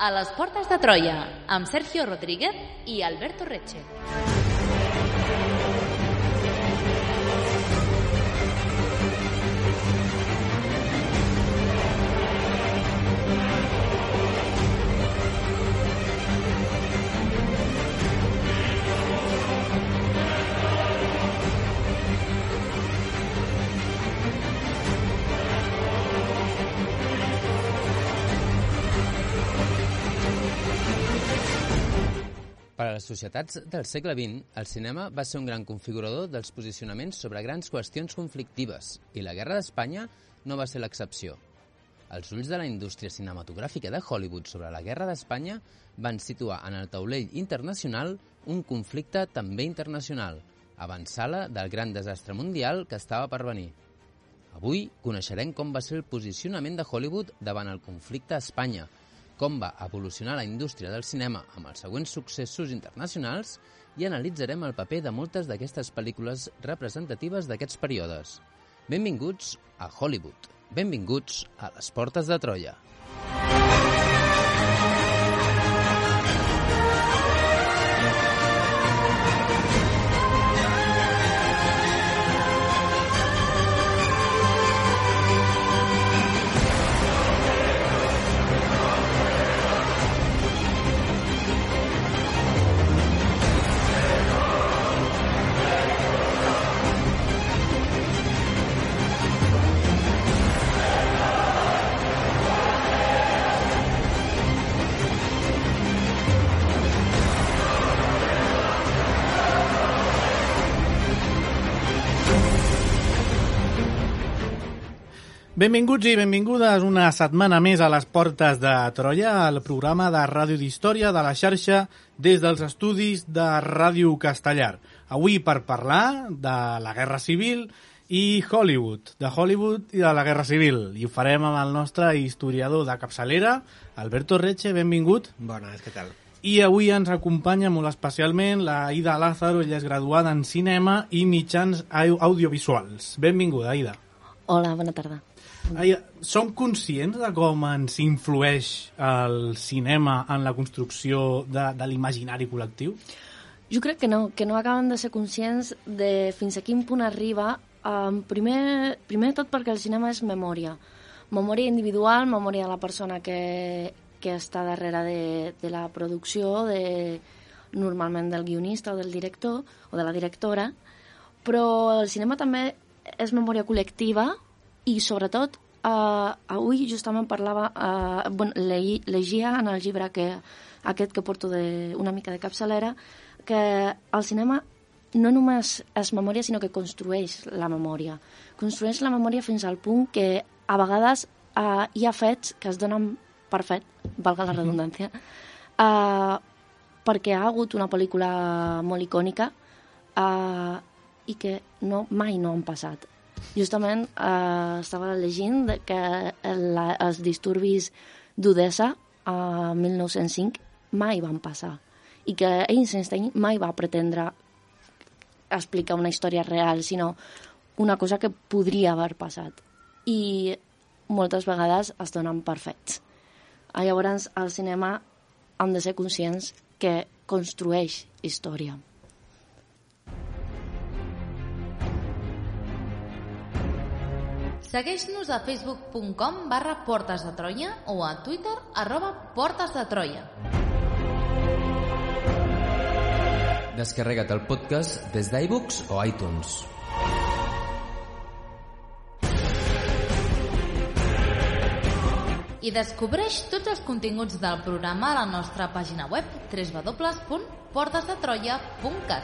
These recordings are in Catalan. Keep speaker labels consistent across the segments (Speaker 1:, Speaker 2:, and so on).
Speaker 1: A les portes de Troia, amb Sergio Rodríguez i Alberto Reche.
Speaker 2: Per a les societats del segle XX, el cinema va ser un gran configurador dels posicionaments sobre grans qüestions conflictives, i la Guerra d'Espanya no va ser l'excepció. Els ulls de la indústria cinematogràfica de Hollywood sobre la Guerra d'Espanya van situar en el taulell internacional un conflicte també internacional, avançala del gran desastre mundial que estava per venir. Avui coneixerem com va ser el posicionament de Hollywood davant el conflicte a Espanya, com va evolucionar la indústria del cinema amb els següents successos internacionals i analitzarem el paper de moltes d'aquestes pel·lícules representatives d'aquests períodes. Benvinguts a Hollywood. Benvinguts a les portes de Troia.
Speaker 3: Benvinguts i benvingudes una setmana més a les portes de Troia, el programa de ràdio d'història de la xarxa des dels estudis de Ràdio Castellar. Avui per parlar de la Guerra Civil i Hollywood, de Hollywood i de la Guerra Civil. I ho farem amb el nostre historiador de capçalera, Alberto Reche, benvingut.
Speaker 4: Bones, què tal?
Speaker 3: I avui ens acompanya molt especialment la Aida Lázaro, ella és graduada en cinema i mitjans audiovisuals. Benvinguda, Aida.
Speaker 5: Hola, bona tarda.
Speaker 3: Som conscients de com ens influeix el cinema en la construcció de l'imaginari col·lectiu?
Speaker 5: Jo crec que no acaben de ser conscients de fins a quin punt arriba. Primer de tot perquè el cinema és memòria. Memòria individual, memòria de la persona que està darrere de la producció, normalment del guionista o del director o de la directora, però el cinema també és memòria col·lectiva. I sobretot, avui justament llegia en el llibre aquest que porto una mica de capçalera, que el cinema no només és memòria, sinó que construeix la memòria. Construeix la memòria fins al punt que a vegades hi ha fets que es donen per fet, valga la redundància, perquè ha hagut una pel·lícula molt icònica i que mai no han passat. Justament estava llegint que els disturbis d'Odessa a 1905 mai van passar i que Eisenstein mai va pretendre explicar una història real, sinó una cosa que podria haver passat. I moltes vegades es donen per fets. Llavors, al cinema hem de ser conscients que construeix història.
Speaker 1: Segueix-nos a facebook.com/portesdetroia o a Twitter @portesdetroia.
Speaker 2: Descarrega't el podcast des d'iVoox o iTunes.
Speaker 1: I descobreix tots els continguts del programa a la nostra pàgina web www.portesdetroia.cat.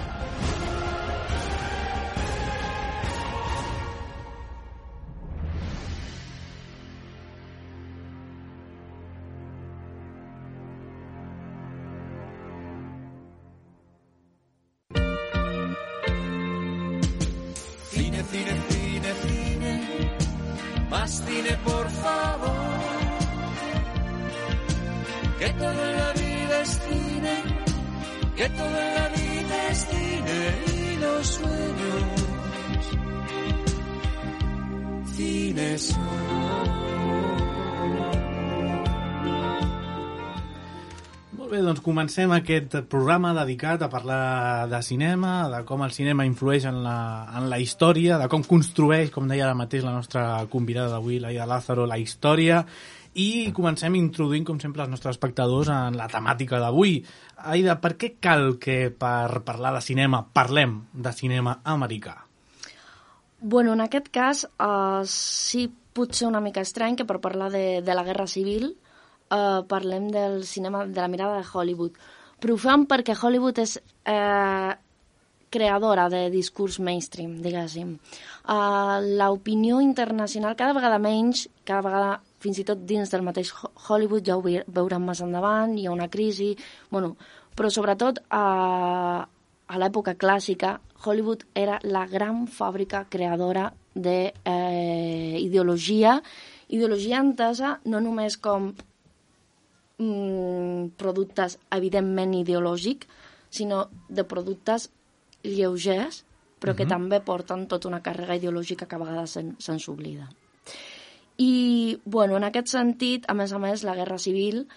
Speaker 6: Más cine, por favor, que todo en la vida es cine, que todo en la vida es cine y los sueños, cine son.
Speaker 3: Molt bé, doncs comencem aquest programa dedicat a parlar de cinema, de com el cinema influeix en la història, de com construeix, com deia ara mateix la nostra convidada d'avui, l'Aida Lázaro, la història, i comencem introduint, com sempre, els nostres espectadors en la temàtica d'avui. Aida, per què cal que per parlar de cinema parlem de cinema americà?
Speaker 5: Bueno, en aquest cas, sí pot ser una mica estrany que per parlar de la Guerra Civil parlem del cinema, de la mirada de Hollywood. Però ho fem perquè Hollywood és creadora de discurs mainstream, diguéssim. L'opinió internacional, cada vegada menys, cada vegada fins i tot dins del mateix Hollywood, ja ho veurem més endavant, hi ha una crisi, bueno, però sobretot a l'època clàssica, Hollywood era la gran fàbrica creadora d'ideologia, ideologia entesa no només com productes evidentment ideològics, sinó de productes lleugers, però que també porten tota una càrrega ideològica que a vegades se'ns oblida. I, bueno, en aquest sentit, a més, la Guerra Civil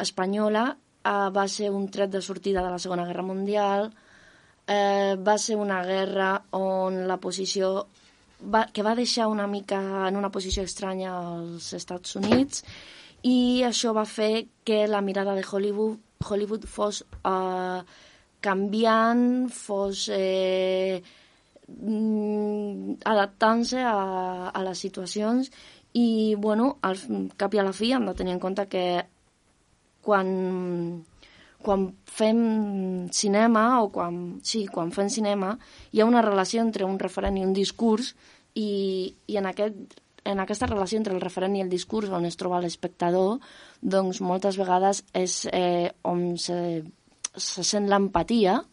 Speaker 5: espanyola va ser un tret de sortida de la Segona Guerra Mundial, va ser una guerra on la posició que va deixar una mica en una posició estranya als Estats Units, i això va fer que la mirada de Hollywood fos canviant, fos adaptant-se a les situacions i, bueno, al cap i a la fi hem de tenir en compte que quan fem cinema o quan fem cinema hi ha una relació entre un referent i un discurs i en aquesta relació entre el referent i el discurs on es troba l'espectador, doncs moltes vegades és on se sent l'empatia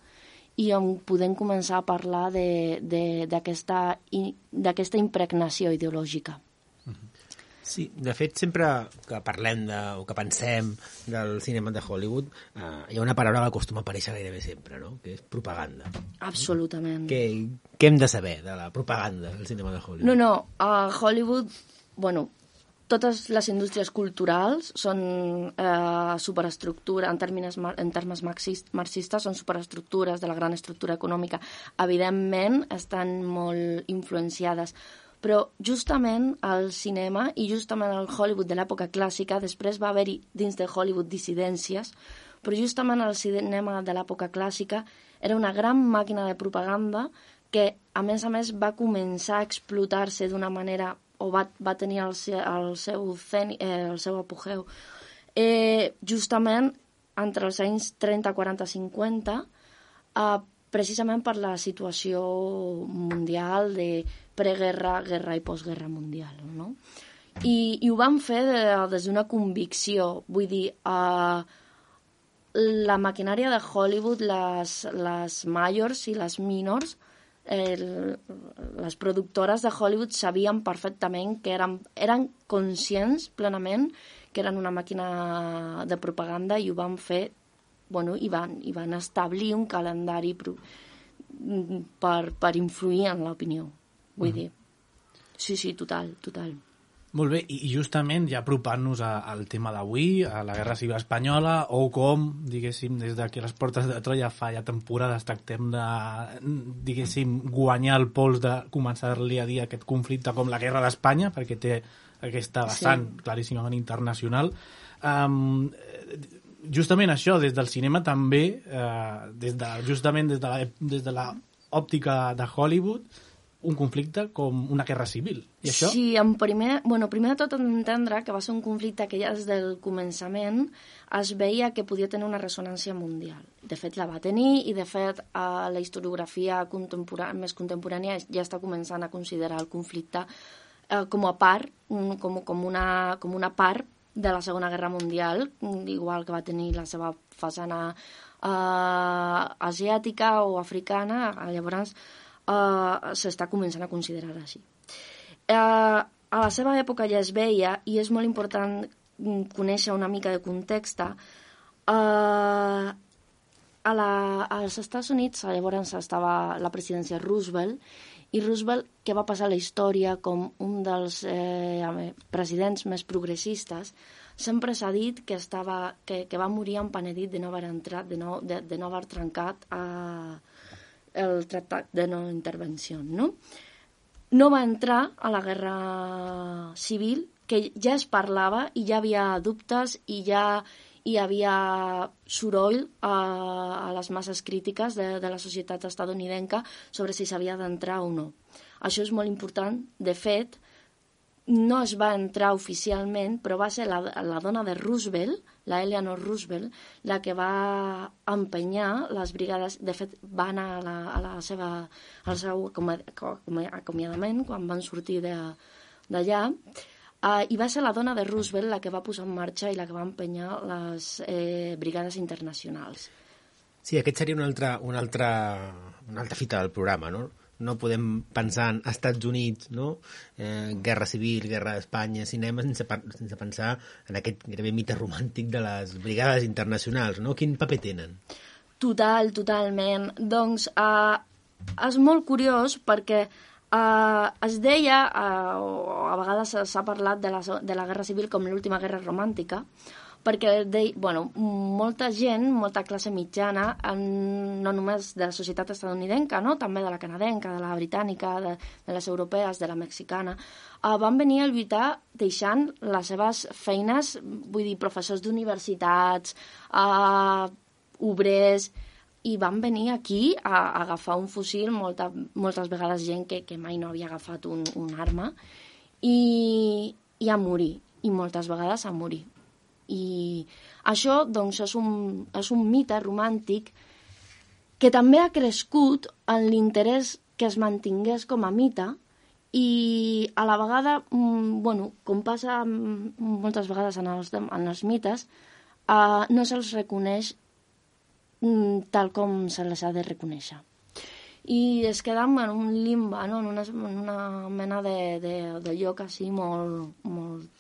Speaker 5: i on podem començar a parlar d'aquesta impregnació ideològica.
Speaker 4: Sí, de fet, sempre que parlem o que pensem del cinema de Hollywood, hi ha una paraula que acostuma a aparèixer gairebé sempre, no? Que és propaganda.
Speaker 5: Absolutament.
Speaker 4: Què hem de saber de la propaganda del cinema de Hollywood?
Speaker 5: No, a Hollywood, bueno, totes les indústries culturals són superestructura, en termes marxistes, són superestructures de la gran estructura econòmica. Evidentment, estan molt influenciades, però justament el cinema i justament el Hollywood de l'època clàssica, després va haver-hi dins de Hollywood dissidències, però justament el cinema de l'època clàssica era una gran màquina de propaganda que, a més, va començar a explotar-se d'una manera, o va tenir el seu apogeu, justament entre els anys 30, 40, 50, precisament per la situació mundial de preguerra, guerra i postguerra mundial, no? I ho van fer des d'una convicció, vull dir, la maquinària de Hollywood, les majors i les minors, les productores de Hollywood sabien perfectament que eren conscients plenament que eren una màquina de propaganda i ho van fer, bueno, i van establir un calendari per influir en l'opinió. Vull dir, sí, total.
Speaker 3: Molt bé, i justament ja apropant-nos al tema d'avui, a la Guerra Civil Espanyola, o com, diguéssim, des de que les portes de Troia fa ja temporades tractem de, diguéssim, guanyar el pols de començar-li a dir aquest conflicte com la Guerra d'Espanya, perquè té aquesta vessant claríssimament internacional. Justament això, des del cinema també, justament des de l'òptica de Hollywood, un conflicte com una guerra civil. I això?
Speaker 5: Sí, primer de tot entendre que va ser un conflicte que ja des del començament es veia que podia tenir una ressonància mundial. De fet, la va tenir i, de fet, la historiografia més contemporània ja està començant a considerar el conflicte com a part, com una part de la Segona Guerra Mundial, igual que va tenir la seva façana asiàtica o africana, llavors s'està començant a considerar així. A la seva època ja es veia, i és molt important conèixer una mica de context, als Estats Units llavors estava la presidència Roosevelt, i Roosevelt, que va passar a la història com un dels presidents més progressistes, sempre s'ha dit que va morir empenedit de no haver trencat el tractat de no intervenció, no? No va entrar a la guerra civil, que ja es parlava i ja havia dubtes i ja hi havia soroll a les masses crítiques de la societat estatunidenca sobre si s'havia d'entrar o no. Això és molt important. De fet, no es va entrar oficialment, però va ser la dona de Roosevelt, la Eleanor Roosevelt, la que va empenyar les brigades. De fet, va anar al seu acomiadament quan van sortir d'allà, i va ser la dona de Roosevelt la que va posar en marxa i la que va empenyar les brigades internacionals.
Speaker 4: Sí, aquest seria una altra fita del programa, no? No podem pensar en Estats Units, no? Guerra civil, guerra d'Espanya, cinema, sense pensar en aquest gairebé mite romàntic de les brigades internacionals, no? Quin paper tenen?
Speaker 5: Totalment. Doncs és molt curiós perquè es deia, o a vegades s'ha parlat de la guerra civil com l'última guerra romàntica, perquè molta gent, molta classe mitjana, no només de la societat estatunidenca, no? També de la canadenca, de la britànica, de les europees, de la mexicana, van venir a lluitar deixant les seves feines, vull dir, professors d'universitats, obrers, i van venir aquí a agafar un fusil, moltes vegades gent que mai no havia agafat un arma, i a morir, i moltes vegades a morir. I això, doncs, és un mite romàntic que també ha crescut en l'interès que es mantingués com a mite, i a la vegada, com passa moltes vegades en els mites, no se'ls reconeix tal com se les ha de reconèixer. I es queda en un limbe, no? en una mena de lloc així molt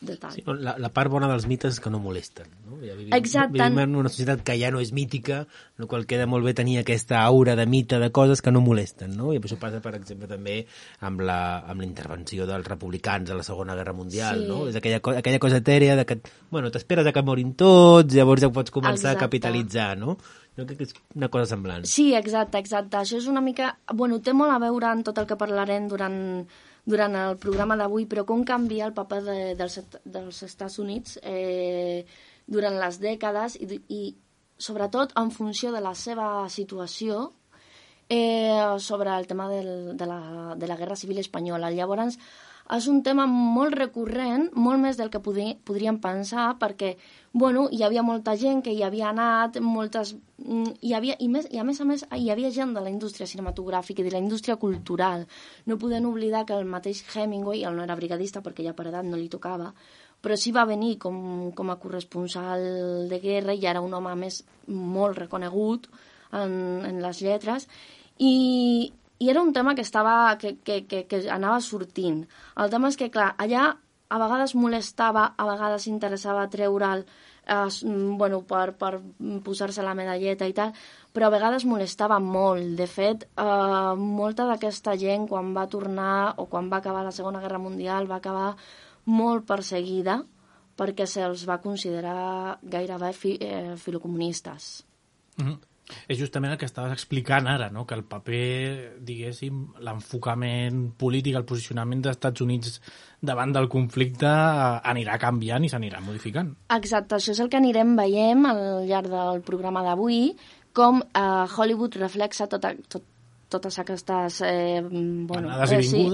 Speaker 5: detall.
Speaker 4: Sí, la part bona dels mites és que no molesten. No? Ja
Speaker 5: vivim
Speaker 4: en una societat que ja no és mítica, en la qual queda molt bé tenir aquesta aura de mite, de coses que no molesten. No? I això passa, per exemple, també amb la intervenció dels republicans a la Segona Guerra Mundial. Sí. No? És aquella cosa etèrea de que t'esperes que morin tots, llavors ja pots començar a capitalitzar, no? Jo crec que és una cosa semblant.
Speaker 5: Sí, exacte. Això és una mica... té molt a veure en tot el que parlarem durant el programa d'avui, però com canvia el paper dels Estats Units durant les dècades i sobretot en funció de la seva situació sobre el tema de la Guerra Civil Espanyola. Llavors, és un tema molt recurrent, molt més del que podríem pensar, perquè hi havia molta gent que hi havia anat, i a més hi havia gent de la indústria cinematogràfica i de la indústria cultural. No podem oblidar que el mateix Hemingway, ell no era brigadista perquè ja per edat no li tocava, però sí va venir com a corresponsal de guerra i era un home més molt reconegut en les lletres, i era un tema que anava sortint. El tema és que, clar, allà a vegades molestava, a vegades interessava treure'l per posar-se la medalleta i tal, però a vegades molestava molt. De fet, molta d'aquesta gent, quan va tornar o quan va acabar la Segona Guerra Mundial, va acabar molt perseguida perquè se'ls va considerar gairebé filocomunistes.
Speaker 3: Mm-hmm. És justament el que estaves explicant ara, no? Que el paper, diguéssim, l'enfocament polític, el posicionament dels Estats Units davant del conflicte anirà canviant i s'anirà modificant.
Speaker 5: Exacte, això és el que anirem veient al llarg del programa d'avui, com Hollywood reflexa totes aquestes...
Speaker 3: anades i vingudes.
Speaker 5: Sí,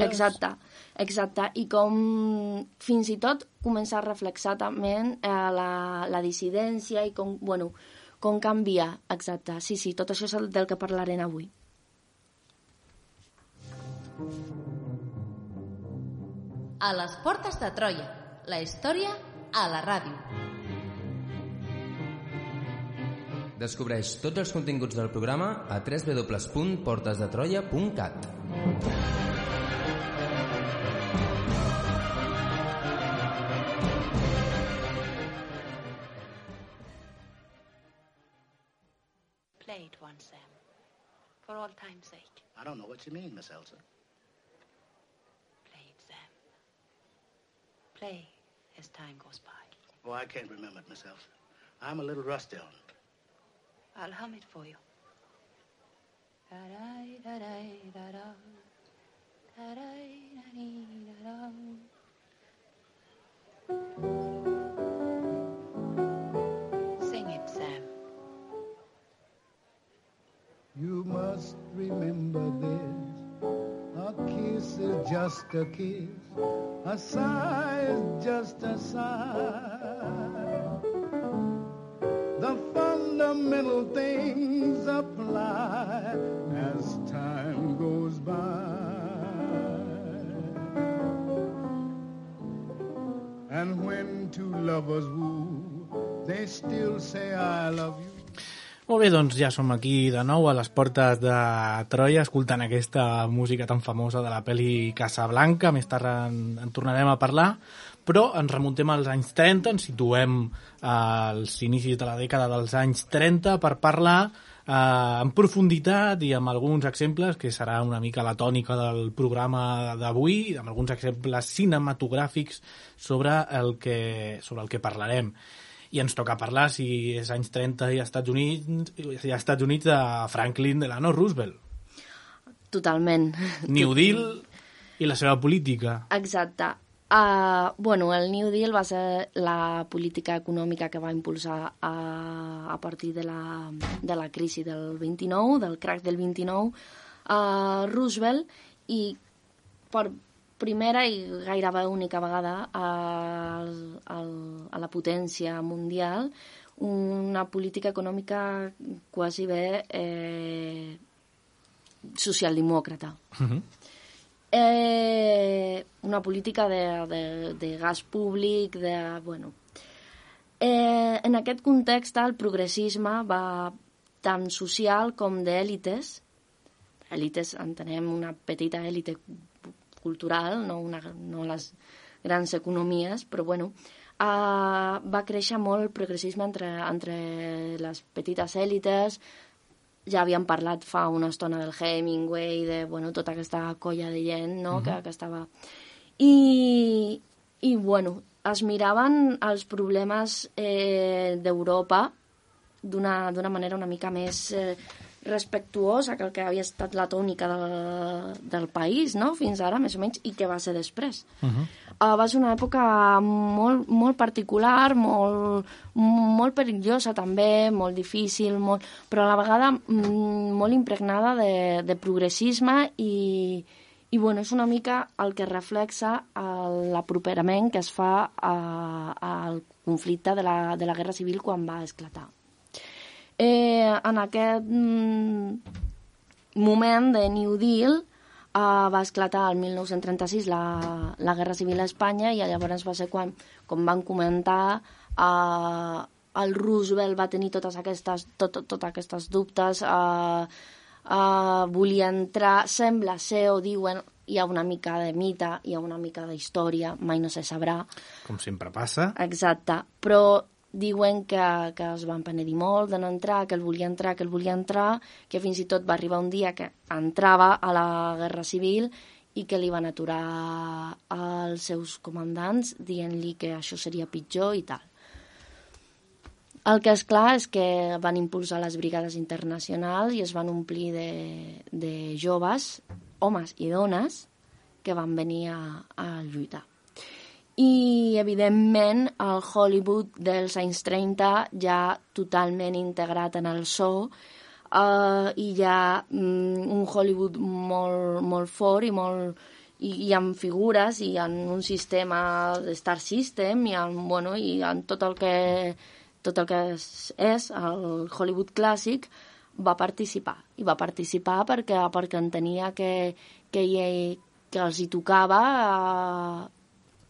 Speaker 5: exacte, i com fins i tot comença a reflexar també la dissidència i com canvia, exacte. Sí, tot això és del que parlarem avui.
Speaker 1: A les portes de Troia, la història a la ràdio.
Speaker 2: Descobreix tots els continguts del programa a www.portesdetroia.cat.
Speaker 7: Play it once, Sam. For all time's sake.
Speaker 8: I don't know what you mean, Miss Elsa.
Speaker 7: Play it, Sam. Play as time goes by.
Speaker 8: Oh, I can't remember it, Miss Elsa. I'm a little rusty on it.
Speaker 7: I'll hum it for you. Da-da-da-da-da-da. Da-da-da-da-da-da. Sing it, Sam.
Speaker 9: You must remember this. A kiss is just a kiss. A sigh is just a sigh. The fundamental things apply as time goes by. And when two lovers woo, they still say I love you.
Speaker 3: Molt bé, doncs ja som aquí de nou a les portes de Troia escoltant aquesta música tan famosa de la pel·li Casablanca. Més tard en tornarem a parlar, però ens remuntem als anys 30, ens situem als inicis de la dècada dels anys 30 per parlar en profunditat i amb alguns exemples, que serà una mica la tònica del programa d'avui, amb alguns exemples cinematogràfics sobre el que parlarem. I ens toca parlar, si és anys 30 i als Estats Units, de Franklin Delano Roosevelt.
Speaker 5: Totalment.
Speaker 3: New Deal i la seva política.
Speaker 5: Exacte. Bueno, el New Deal va ser la política econòmica que va impulsar a partir de la crisi del 29, del crack del 29, Roosevelt, i per primera i gairebé única vegada a la potència mundial una política econòmica quasi bé socialdemòcrata. Una política de gas públic, en aquest context el progressisme va tant social com d'èlites. Èlites entenem una petita èlite cultural, no les grans economies, però va créixer molt el progressisme entre les petites èlites. Ja havíem parlat fa una estona del Hemingway, de tota aquesta colla de gent, no? que estava... I es miraven els problemes d'Europa d'una manera una mica més respectuosa que el que havia estat la tònica del país, no? Fins ara, més o menys, i què va ser després. Va ser una època molt, molt particular, molt perillosa també, molt difícil, però a la vegada molt impregnada de progressisme i és una mica el que reflexa l'aproperament que es fa al conflicte de la Guerra Civil quan va esclatar. En aquest moment de New Deal va esclatar el 1936 la Guerra Civil a Espanya i llavors va ser quan, com van comentar, el Roosevelt va tenir totes aquestes dubtes, volia entrar, sembla ser, o diuen, hi ha una mica de mite, hi ha una mica d'història, mai no se sabrà.
Speaker 3: Com sempre passa.
Speaker 5: Exacte, però diuen que es van penedir molt de no entrar, que el volia entrar, que fins i tot va arribar un dia que entrava a la Guerra Civil i que li van aturar els seus comandants dient-li que això seria pitjor i tal. El que és clar és que van impulsar les brigades internacionals i es van omplir de joves, homes i dones, que van venir a lluitar. I, evidentment, el Hollywood dels anys 30 ja totalment integrat en el so i hi ha un Hollywood molt, molt fort i amb figures i en un sistema de Star System i en tot el que és el Hollywood clàssic va participar. I va participar perquè entenia que els hi tocava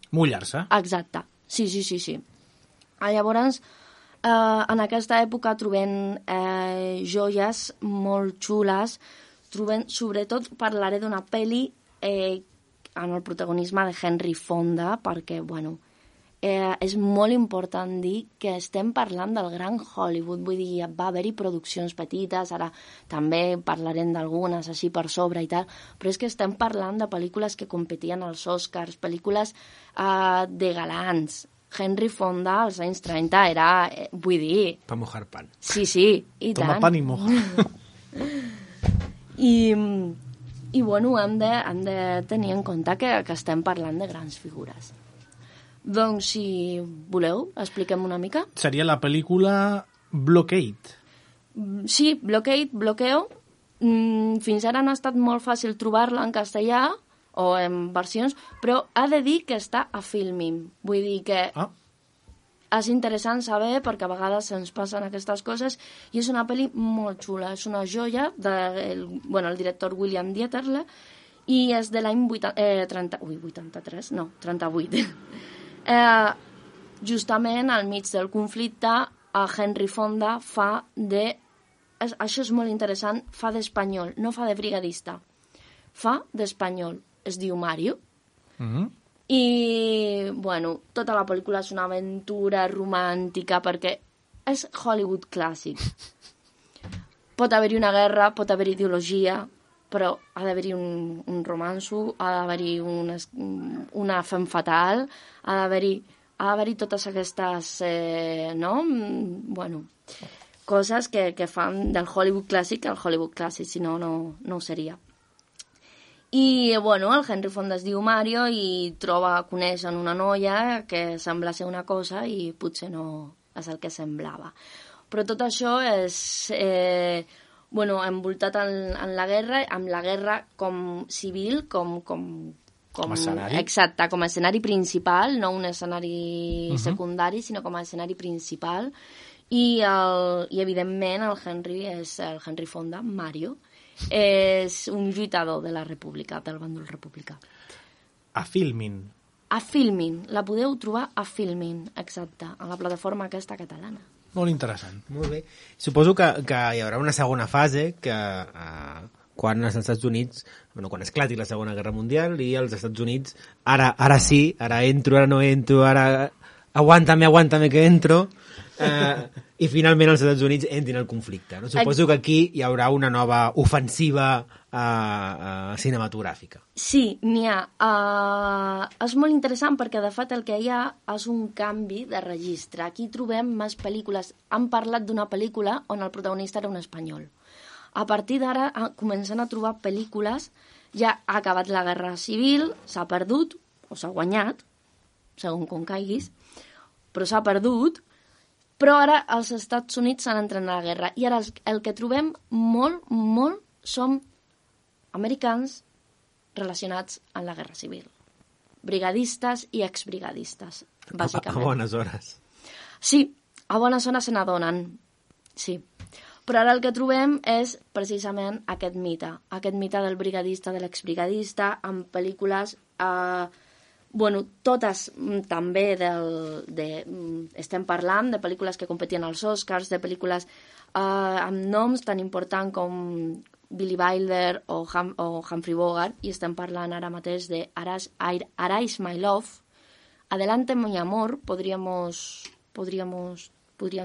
Speaker 3: mullar-se.
Speaker 5: Exacte, sí. Llavors, en aquesta època trobem joies molt xules, sobretot parlaré d'una pel·li en el protagonisme de Henry Fonda, perquè, és molt important dir que estem parlant del gran Hollywood, vull dir, va haver-hi produccions petites, ara també parlarem d'algunes així per sobre i tal, però és que estem parlant de pel·lícules que competien als Oscars, pel·lícules de galants. Henry Fonda als anys 30 era, vull dir...
Speaker 4: Pa mojar pan.
Speaker 5: Sí, i
Speaker 3: Toma
Speaker 5: tant.
Speaker 3: pan i moja.
Speaker 5: I bueno, hem de tenir en compte que estem parlant de grans figures. Doncs, si voleu, expliquem una mica.
Speaker 3: Seria la pel·lícula Blockade.
Speaker 5: Sí, Bloqueo. Fins ara no ha estat molt fàcil trobar-la en castellà o en versions, però ha de dir que està a Filmin. Vull dir que és interessant saber, perquè a vegades ens passen aquestes coses, i és una pel·li molt xula, és una joia del director William Dieterle, i és de l'any 83, no, 38. Justament al mig del conflicte, Henry Fonda fa de... Això és molt interessant, fa d'espanyol, no fa de brigadista. Fa d'espanyol. Es diu Mario. I, bueno, tota la pel·lícula és una aventura romàntica perquè és Hollywood clàssic. Pot haver-hi una guerra, pot haver-hi ideologia, però ha d'haver-hi un romanço, ha d'haver-hi una femme fatal, ha d'haver-hi totes aquestes, coses que fan del Hollywood clàssic el Hollywood clàssic, si no, no ho seria. I, bueno, el Henry Fonda es diu Mario i coneix una noia que sembla ser una cosa i potser no és el que semblava. Però tot això és... envoltat en la guerra, amb la guerra com civil, com
Speaker 3: escenari.
Speaker 5: Exacte, com a escenari principal, no un escenari secundari, sinó com a escenari principal. I evidentment, el Henry Fonda, Mario, és un lluitador de la República, del bàndol republicà.
Speaker 3: A Filmin.
Speaker 5: A Filmin, la podeu trobar a Filmin, exacte, a la plataforma aquesta catalana.
Speaker 3: Molt interessant.
Speaker 4: Molt bé. Suposo que hi haurà una segona fase que quan als Estats Units, quan esclati la Segona Guerra Mundial i als Estats Units, ara sí, ara entro, ara no entro, ara aguántame que entro, i finalment els Estats Units entrin al conflicte. No? Suposo que aquí hi haurà una nova ofensiva cinematogràfica.
Speaker 5: Sí, n'hi ha. És molt interessant perquè, de fet, el que hi ha és un canvi de registre. Aquí trobem més pel·lícules. Han parlat d'una pel·lícula on el protagonista era un espanyol. A partir d'ara comencen a trobar pel·lícules, ja ha acabat la guerra civil, s'ha perdut, o s'ha guanyat, segons com caiguis, però s'ha perdut, però ara els Estats Units s'han entrat a la guerra. I ara el que trobem molt són americans relacionats amb la guerra civil. Brigadistes i exbrigadistes, bàsicament.
Speaker 4: A bones hores.
Speaker 5: Sí, a bones hores se n'adonen, sí. Però ara el que trobem és precisament aquest mite del brigadista, de l'exbrigadista, amb pel·lícules, totes també estem parlant de pel·lícules que competien als Oscars, de pel·lícules amb noms tan importants com Billy Wilder o Humphrey Bogart, i estem parlant ara mateix de Arise My Love, Adelante mi amor, podríem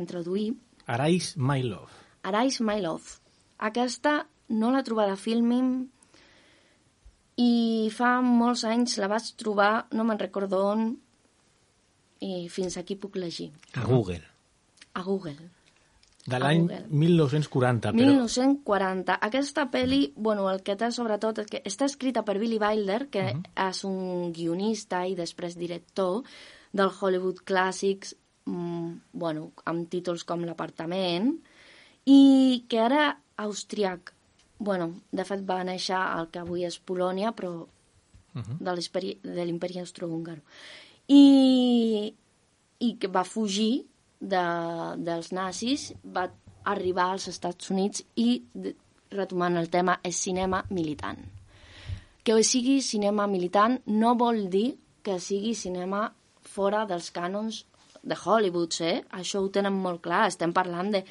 Speaker 5: traduir.
Speaker 3: Arise My Love.
Speaker 5: Arise My Love. Aquesta no l'he trobada a Filmin i fa molts anys la vaig trobar, no me'n recordo on, i fins aquí puc llegir.
Speaker 4: A Google.
Speaker 5: A Google.
Speaker 3: De l'any 1940.
Speaker 5: 1940. Aquesta pel·li, el que té sobretot és que està escrita per Billy Wilder, que és un guionista i després director del Hollywood Clàssics, amb títols com L'Apartament, i que era austríac. De fet va néixer al que avui és Polònia, però de l'imperi austrohúngar. I que va fugir dels nazis, va arribar als Estats Units i, retomant el tema, és cinema militant. Que sigui cinema militant no vol dir que sigui cinema fora dels cànons de Hollywood, Això ho tenen molt clar, estem parlant de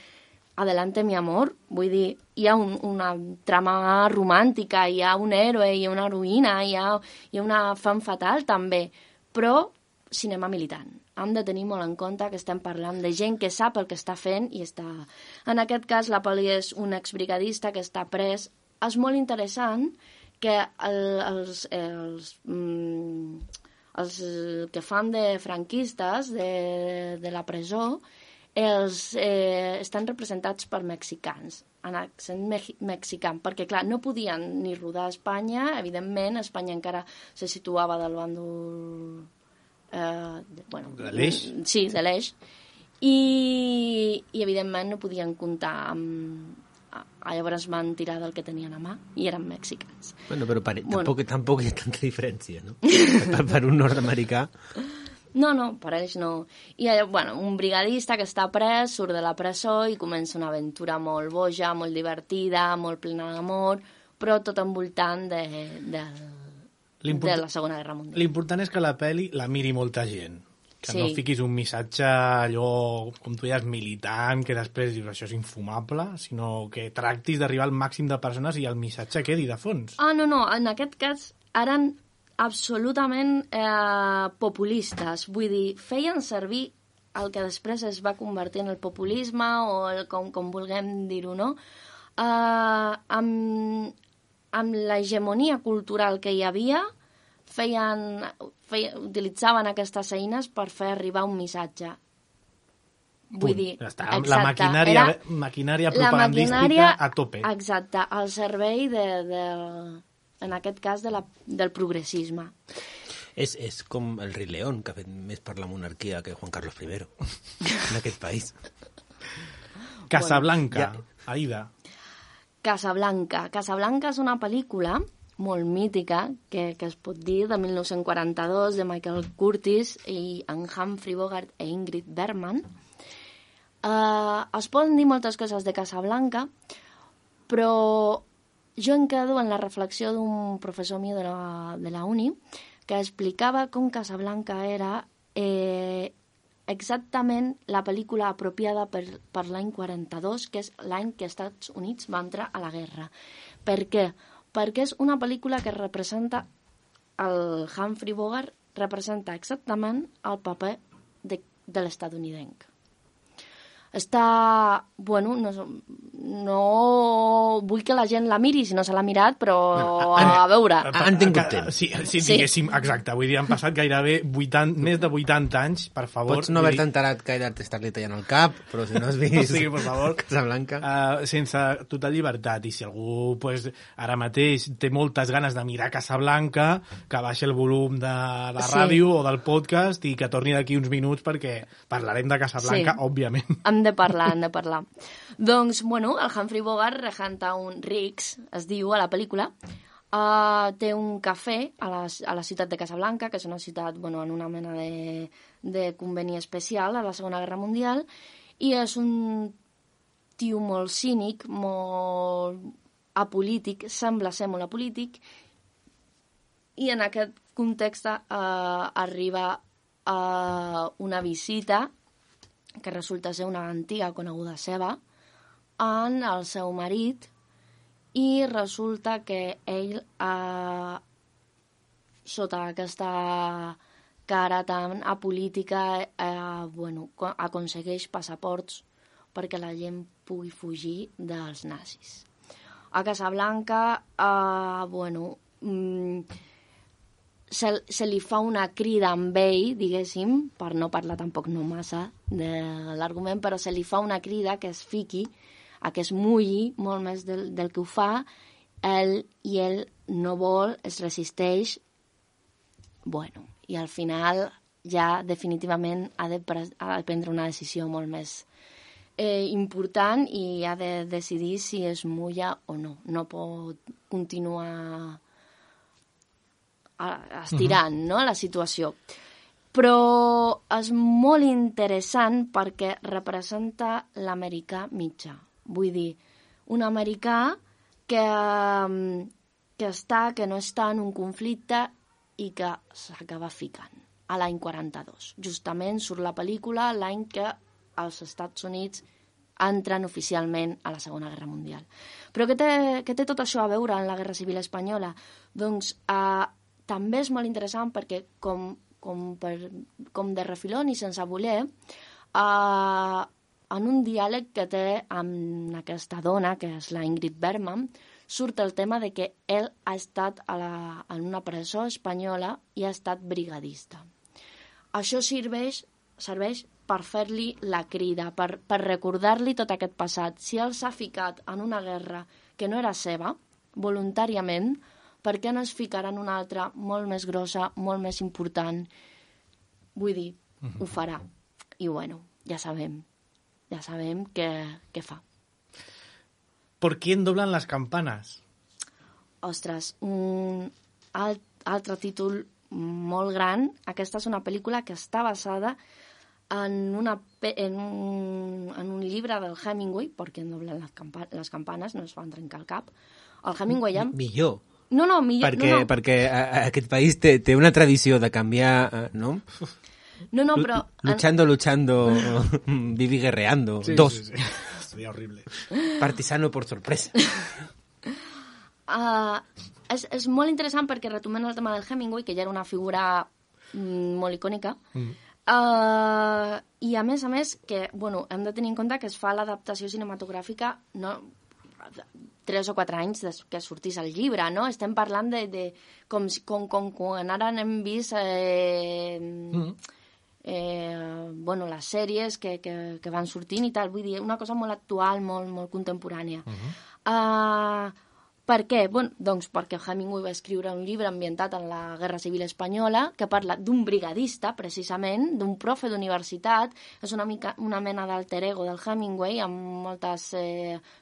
Speaker 5: Adelante mi amor, vull dir, hi ha una trama romàntica, hi ha un héroe, hi ha una heroïna, hi ha una femme fatal també, però cinema militant. hem de tenir molt en compte que estem parlant de gent que sap el que està fent i està... En aquest cas, la pel·li és un exbrigadista que està pres. És molt interessant que els que fan de franquistes de la presó estan representats per mexicans, en accent mexicà, perquè, clar, no podien ni rodar a Espanya, evidentment, Espanya encara se situava del bàndol...
Speaker 3: de l'Eix?
Speaker 5: Sí, de l'Eix. I, evidentment, no podien comptar amb... Llavors van tirar del que tenien a mà i eren mexicans.
Speaker 4: Bueno, però tampoc hi ha tanta diferència, no? per un nord-americà...
Speaker 5: No, per ells no. I, un brigadista que està pres, surt de la presó i comença una aventura molt boja, molt divertida, molt plena d'amor, però tot envoltant de la Segona Guerra Mundial.
Speaker 3: L'important és que la pel·li la miri molta gent. Que no fiquis un missatge allò, com tu deies, militant, que després dius això és infumable, sinó que tractis d'arribar al màxim de persones i el missatge quedi de fons.
Speaker 5: No, en aquest cas eren absolutament populistes. Vull dir, feien servir el que després es va convertir en el populisme o com vulguem dir-ho, no? Amb l'hegemonia cultural que hi havia, utilitzaven aquestes eines per fer arribar un missatge. Vull dir,
Speaker 3: exacte, la maquinària propagandística a tope.
Speaker 5: Exacte, al servei en aquest cas del progressisme.
Speaker 4: És com el Rei León, que ha fet més per la monarquia que Juan Carlos I en aquest país.
Speaker 3: Casablanca, Aida.
Speaker 5: Casablanca és una pel·lícula molt mítica, que es pot dir, de 1942, de Michael Curtiz i en Humphrey Bogart i Ingrid Bergman. Es poden dir moltes coses de Casablanca, però jo em quedo en la reflexió d'un professor meu de la uni que explicava com Casablanca era exactament la pel·lícula apropiada per l'any 42, que és l'any que els Estats Units va entrar a la guerra. Per què? Perquè és una pel·lícula que representa, el Humphrey Bogart representa exactament el paper de l'estatunidenc. Està... no vull que la gent la miri si no se l'ha mirat, però a veure...
Speaker 4: Han tingut temps.
Speaker 3: Sí, diguéssim, exacte. Vull dir, han passat gairebé més de 80 anys, per favor.
Speaker 4: Pots no haver-te enterat que t'estar-li tallant el cap, però si no has vist
Speaker 3: per favor,
Speaker 4: Casablanca...
Speaker 3: sense total llibertat. I si algú ara mateix té moltes ganes de mirar Casablanca, que baixi el volum de la ràdio o del podcast i que torni d'aquí uns minuts perquè parlarem de Casablanca, òbviament.
Speaker 5: Hem de parlar. Doncs, el Humphrey Bogart regenta un Riggs, es diu a la pel·lícula, té un cafè a la ciutat de Casablanca, que és una ciutat en una mena de conveni especial a la Segona Guerra Mundial, i és un tio molt cínic, molt apolític, sembla ser molt apolític, i en aquest context arriba una visita que resulta ser una antiga coneguda seva, en el seu marit, i resulta que ell, sota aquesta cara tan apolítica, aconsegueix passaports perquè la gent pugui fugir dels nazis. A Casablanca, se li fa una crida amb ell, diguéssim, per no parlar tampoc no massa de l'argument, però se li fa una crida que es fiqui, a que es mulli molt més del que ho fa, i ell no vol, es resisteix, i al final ja definitivament ha de prendre una decisió molt més important i ha de decidir si es mulla o no. No pot continuar estirant la situació. Però és molt interessant perquè representa l'americà mitjà. Vull dir, un americà que no està en un conflicte i que s'acaba ficant a l'any 42. Justament surt la pel·lícula l'any que els Estats Units entren oficialment a la Segona Guerra Mundial. Però què té tot això a veure amb la Guerra Civil Espanyola? Doncs també és molt interessant perquè, com com de refilón i sense voler, en un diàleg que té amb aquesta dona, que és la Ingrid Bergman, surt el tema de que ell ha estat en una presó espanyola i ha estat brigadista. Això serveix per fer-li la crida, per recordar-li tot aquest passat. Si ell s'ha ficat en una guerra que no era seva, voluntàriament, per què no es ficarà en una altra molt més grossa, molt més important? Vull dir, ho farà. I bueno, ja sabem què fa.
Speaker 3: ¿Por quién doblan las campanas?
Speaker 5: Ostres, un altre títol molt gran. Aquesta és una pel·lícula que està basada en un llibre del Hemingway, ¿Por quién doblan las campanas? No es van trencar el cap. El Hemingway...
Speaker 4: Millor.
Speaker 5: No, millor.
Speaker 4: Perquè aquest país té una tradició de canviar, no?
Speaker 5: No, però...
Speaker 4: Luchando, vivi guerreando.
Speaker 3: Sí,
Speaker 4: Dos.
Speaker 3: Sí. Sería horrible.
Speaker 4: Partisano por sorpresa.
Speaker 5: És molt interessant perquè retomant el tema del Hemingway, que ja era una figura molt icònica, i a més que, bueno, hem de tenir en compte que es fa l'adaptació cinematogràfica 3 o 4 anys que sortís el llibre, no? Estem parlant de com quan ara hem vist les sèries que van sortint i tal, vull dir, una cosa molt actual, molt contemporània. Per què? Doncs perquè Hemingway va escriure un llibre ambientat en la Guerra Civil Espanyola que parla d'un brigadista, precisament, d'un profe d'universitat. És una mena d'alter ego del Hemingway, amb moltes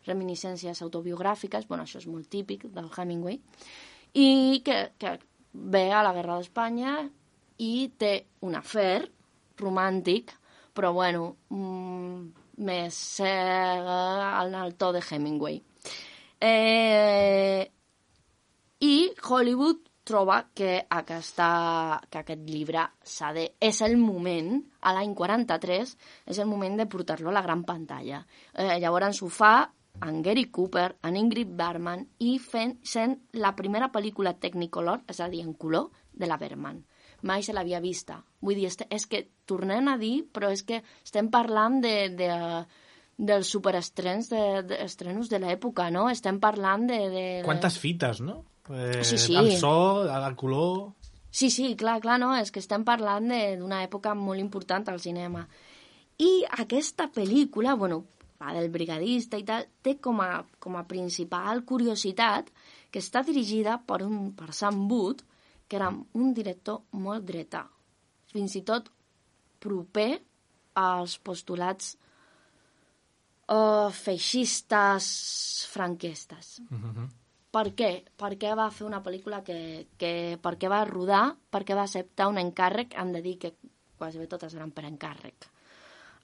Speaker 5: reminiscències autobiogràfiques. Això és molt típic del Hemingway. I que ve a la Guerra d'Espanya i té un afer romàntic, però, més en el to de Hemingway. I Hollywood troba que aquest llibre és el moment, a l'any 43, és el moment de portar-lo a la gran pantalla. Llavors ho fa en Gary Cooper, en Ingrid Bergman, i sent la primera pel·lícula Technicolor, és a dir, en color, de la Bergman. Mai se l'havia vista. Vull dir, és que tornem a dir, però és que estem parlant dels superestrenos de l'època, no? Estem parlant de...
Speaker 3: Quantes fites, no?
Speaker 5: Sí.
Speaker 3: El so, el color...
Speaker 5: Sí, clar, no? És que estem parlant d'una època molt important al cinema. I aquesta pel·lícula, la del brigadista i tal, té com a principal curiositat que està dirigida per Sam Wood, que era un director molt dretà, fins i tot proper als postulats feixistes franquistes. Per què? Per què va fer una pel·lícula per què va rodar, per què va acceptar un encàrrec, hem de dir que quasi bé totes eren per encàrrec.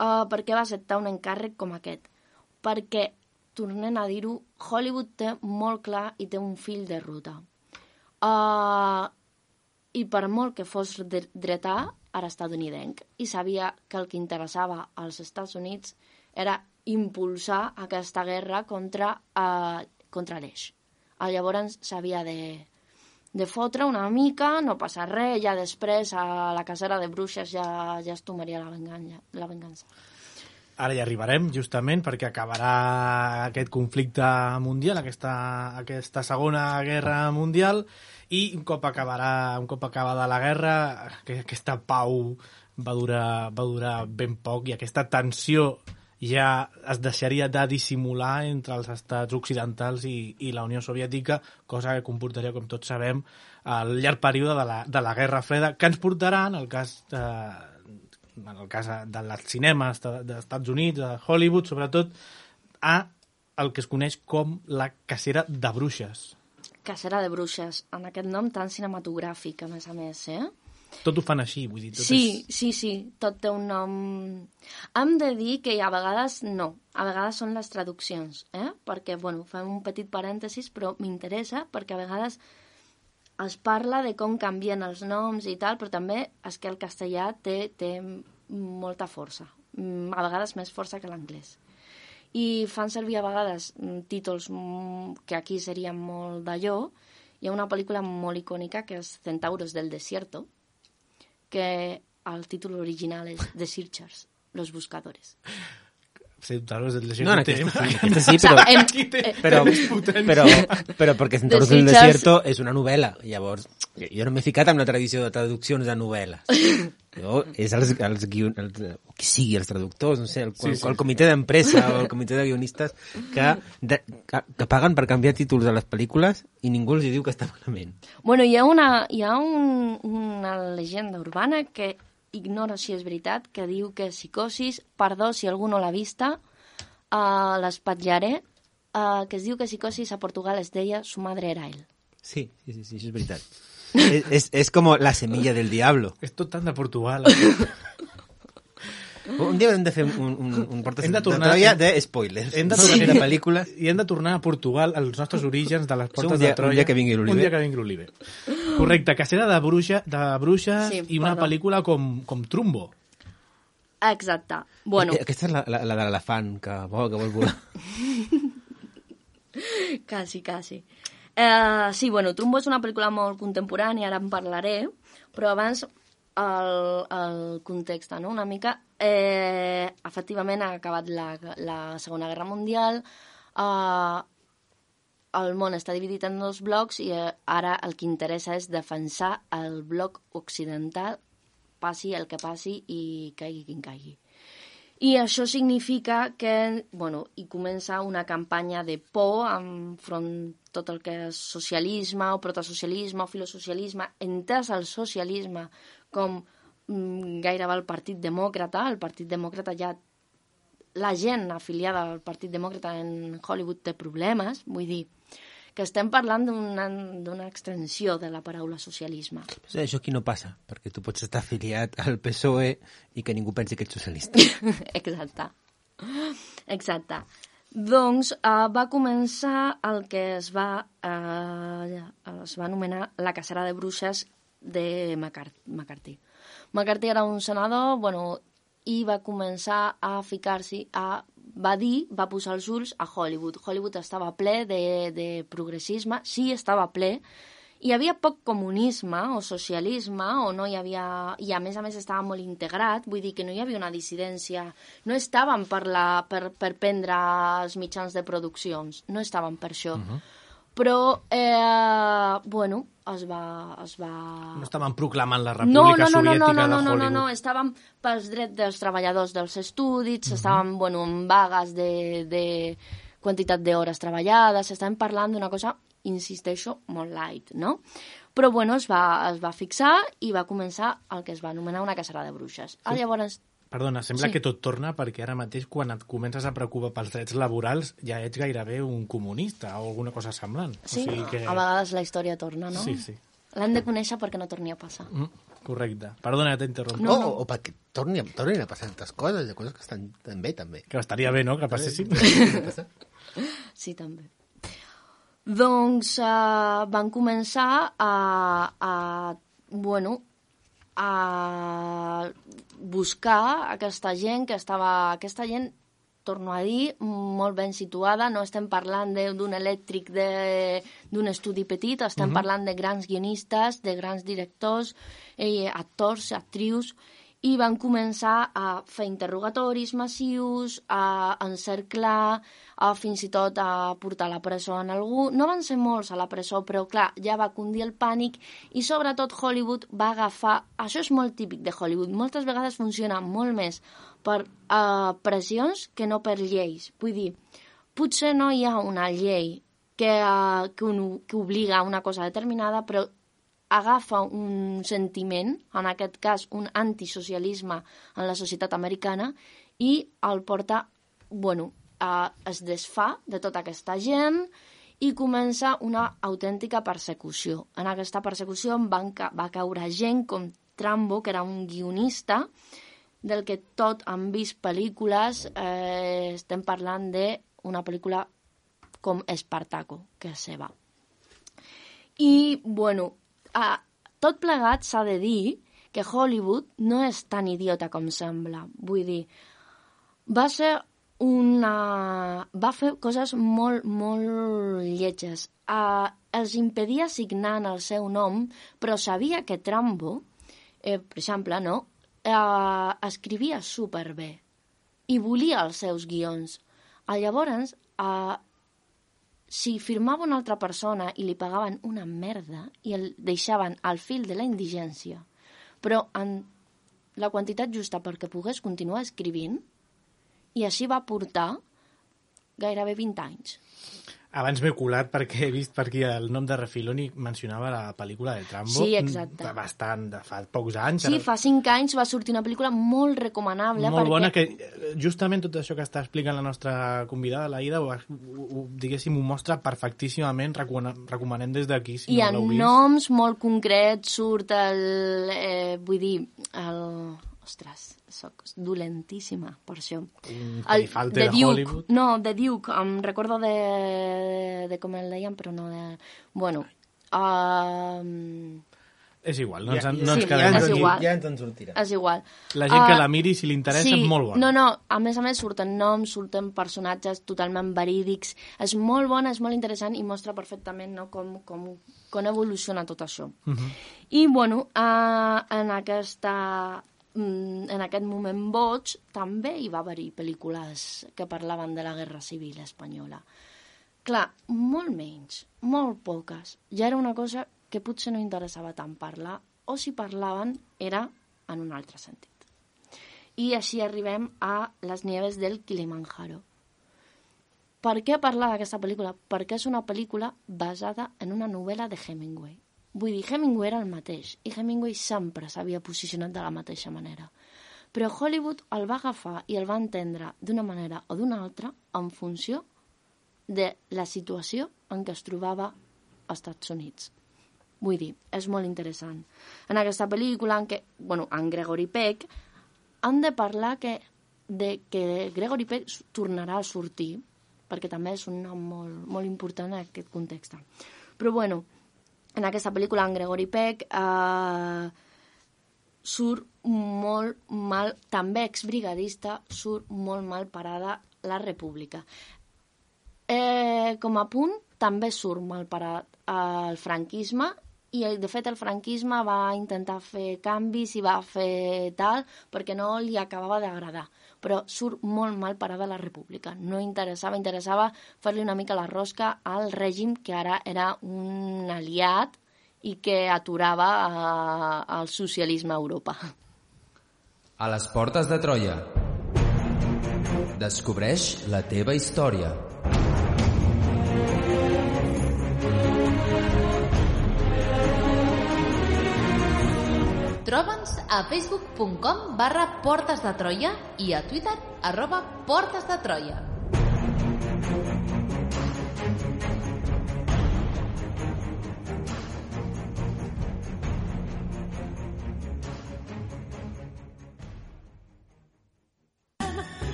Speaker 5: Per què va acceptar un encàrrec com aquest? Perquè, tornem a dir-ho, Hollywood té molt clar i té un fill de ruta. I per molt que fos dretà, era estadounidenc, i sabia que el que interessava als Estats Units era impulsar aquesta guerra contra l'eix. Llavors s'havia de fotre una mica, no passa res, ja després a la cacera de bruixes ja es tomaria la vengança.
Speaker 3: Ara hi arribarem, justament, perquè acabarà aquest conflicte mundial, aquesta segona guerra mundial, i un cop acabada la guerra, aquesta pau va durar ben poc, i aquesta tensió ja es deixaria de dissimular entre els estats occidentals i la Unió Soviètica, cosa que comportaria, com tots sabem, el llarg període de la Guerra Freda, que ens portarà, en el cas dels cinemes dels Estats Units, de Hollywood, sobretot, a el que es coneix com la cacera de bruixes.
Speaker 5: Cacera de bruixes, amb aquest nom tan cinematogràfic, a més,
Speaker 3: Tot ho fan així, vull dir.
Speaker 5: Sí, tot té un nom... Hem de dir que a vegades no, a vegades són les traduccions, perquè, fem un petit parèntesis, però m'interessa, perquè a vegades es parla de com canvien els noms i tal, però també és que el castellà té molta força, a vegades més força que l'anglès. I fan servir a vegades títols que aquí serien molt d'allò. Hi ha una pel·lícula molt icònica que és Centauros del Desierto, que el títol original és The Searchers, Los Buscadores.
Speaker 3: Seductadores del
Speaker 4: No, en
Speaker 3: desierto.
Speaker 4: aquesta sí, però perquè Centauros del
Speaker 5: Searchers-
Speaker 4: Desierto és una novel·la. Llavors, jo no m'he ficat en la tradició de traduccions de novel·les. Jo, és els qui sigui, els traductors, no sé, el comitè d'empresa o el comitè de guionistes que paguen per canviar títols de les pel·lícules i ningú els diu que està malament.
Speaker 5: Bueno, hi ha una llegenda urbana que ignoro si és veritat, que diu que Psicosis, perdó si algú no l'ha vista, l'espatllaré, que es diu que Psicosis a Portugal es deia Su madre era él.
Speaker 4: Sí, això és veritat. És com la semilla del diablo.
Speaker 3: És tot tant de Portugal.
Speaker 4: Un dia hem de fer un portes
Speaker 3: Hem de
Speaker 4: de
Speaker 3: tornar-
Speaker 4: Troia de spoilers.
Speaker 3: Hem de
Speaker 4: de
Speaker 3: tornar
Speaker 4: pel·lícules.
Speaker 3: I hem de tornar a Portugal, als nostres orígens de les portes
Speaker 4: un dia-
Speaker 3: de Troia.
Speaker 4: un dia que vingui l'Oliver.
Speaker 3: Un dia que vingui l'Oliver. Correcte, cacera de bruixes
Speaker 5: Sí,
Speaker 3: i una
Speaker 5: perdó.
Speaker 3: pel·lícula com Trumbo.
Speaker 5: Exacte. Bueno,
Speaker 4: Aquesta és la de l'elefant que vol volar.
Speaker 5: quasi. Sí, bueno, Trumbo és una pel·lícula molt contemporània, ara en parlaré, però abans el context, no? Una mica. Efectivament, ha acabat la Segona Guerra Mundial, el món està dividit en dos blocs i ara el que interessa és defensar el bloc occidental, passi el que passi i caigui quin caigui. I això significa que, bueno, hi comença una campanya de por enfront tot el que és socialisme o protosocialisme o filosocialisme, entès el socialisme com gairebé el Partit Demòcrata. El Partit Demòcrata ja... La gent afiliada al Partit Demòcrata en Hollywood té problemes, vull dir que estem parlant d'una extensió de la paraula socialisme.
Speaker 4: Això aquí no passa, perquè tu pots estar afiliat al PSOE i que ningú pensi que ets socialista.
Speaker 5: Exacte. Doncs va començar el que es va anomenar la cacera de bruixes de McCarthy. McCarthy era un senador, bueno, i va començar a ficar-s'hi va posar els ulls a Hollywood. Hollywood estava ple de progressisme, sí, estava ple. Hi havia poc comunisme o socialisme, o no hi havia... I a més estava molt integrat, vull dir que no hi havia una dissidència. No estaven per prendre els mitjans de produccions, no estaven per això. Però, bueno, es va...
Speaker 3: No estaven proclamant la República Soviètica de Hollywood.
Speaker 5: No, estaven pels drets dels treballadors dels estudis, estaven, bueno, en vagues de quantitat d'hores treballades, estaven parlant d'una cosa, insisteixo, molt light, no? Però, bueno, es va fixar i va començar el que es va anomenar una cacera de bruixes. Llavors...
Speaker 3: Perdona, sembla
Speaker 5: Sí.
Speaker 3: que tot torna perquè ara mateix quan et comences a preocupar pels drets laborals ja ets gairebé un comunista o alguna cosa semblant.
Speaker 5: Sí,
Speaker 3: o sigui que...
Speaker 5: a vegades la història torna, no?
Speaker 3: Sí.
Speaker 5: L'hem de conèixer perquè no torni a passar.
Speaker 3: Correcte. Perdona, t'interrompo.
Speaker 5: No.
Speaker 4: O perquè tornin a passar tantes coses, hi ha coses que estan bé, també.
Speaker 3: Que estaria bé, no?, que passessin.
Speaker 5: Sí, també. Doncs van començar a buscar aquesta gent aquesta gent, torno a dir, molt ben situada. No estem parlant d'un elèctric d'un estudi petit, estem parlant de grans guionistes, de grans directors, actors, actrius, i van començar a fer interrogatoris massius, a encerclar, fins i tot a portar a la presó en algú. No van ser molts a la presó, però clar, ja va cundir el pànic i sobretot Hollywood va agafar... Això és molt típic de Hollywood. Moltes vegades funciona molt més per pressions que no per lleis. Vull dir, potser no hi ha una llei que obliga a una cosa determinada, però agafa un sentiment, en aquest cas un antisocialisme en la societat americana, i el porta, es desfà de tota aquesta gent i comença una autèntica persecució. En aquesta persecució va caure gent com Trumbo, que era un guionista, del que tot han vist pel·lícules, estem parlant d'una pel·lícula com Espartaco, que és seva. I, tot plegat s'ha de dir que Hollywood no és tan idiota com sembla. Vull dir, va fer coses molt, molt lletges. Els impedia signar en el seu nom, però sabia que Trumbo per exemple, no? Escrivia superbé i volia els seus guions. Llavors, si firmava una altra persona i li pagaven una merda i el deixaven al fil de la indigència, però en la quantitat justa perquè pogués continuar escrivint, i així va portar gairebé 20 anys.
Speaker 3: Abans m'he colat perquè he vist per aquí el nom de Refiloni mencionava la pel·lícula de Trambo.
Speaker 5: Sí, exacte.
Speaker 3: Bastant, de fa pocs anys.
Speaker 5: Sí, fa 5 anys va sortir una pel·lícula molt recomanable.
Speaker 3: Molt bona, que justament tot això que està explicant la nostra convidada, l'Aida, diguéssim, ho mostra perfectíssimament, recomanem des d'aquí, si
Speaker 5: no
Speaker 3: l'heu vist.
Speaker 5: I en noms molt concrets surt Ostres, soc dolentíssima per això.
Speaker 3: El de Hollywood.
Speaker 5: No, de Duke, em recordo de com el deien, però no de... Bueno...
Speaker 3: És igual, no ens quedem
Speaker 5: aquí.
Speaker 4: Ja ens en sortirà.
Speaker 5: És igual.
Speaker 3: La gent que la miri, si li interessa, és molt bona.
Speaker 5: No, a més surten noms, surten personatges totalment verídics. És molt bona, és molt interessant i mostra perfectament, no, com evoluciona tot això. I, bueno, en aquest moment boig també hi va haver-hi pel·lícules que parlaven de la Guerra Civil espanyola. Clar, molt menys, molt poques. Ja era una cosa que potser no interessava tant parlar, o si parlaven era en un altre sentit. I així arribem a Les nieves del Kilimanjaro. Per què parlar d'aquesta pel·lícula? Perquè és una pel·lícula basada en una novel·la de Hemingway. Vull dir, Hemingway era el mateix, i Hemingway sempre s'havia posicionat de la mateixa manera. Però Hollywood el va agafar i el va entendre d'una manera o d'una altra en funció de la situació en què es trobava als Estats Units. Vull dir, és molt interessant. En aquesta pel·lícula, en Gregory Peck, han de parlar que Gregory Peck tornarà a sortir, perquè també és un nom molt important en aquest context. Però, bueno, en aquesta pel·lícula, en Gregory Peck surt molt mal, també exbrigadista, surt molt mal parada la República. Com a punt, també surt mal parat el franquisme, i de fet el franquisme va intentar fer canvis i va fer tal perquè no li acabava d'agradar, però surt molt mal parada la República. No interessava fer-li una mica la rosca al règim que ara era un aliat i que aturava el socialisme a Europa.
Speaker 2: A les portes de Troia. Descobreix la teva història.
Speaker 1: Troba'ns a facebook.com/Portes de Troia i a Twitter @Portes de Troia.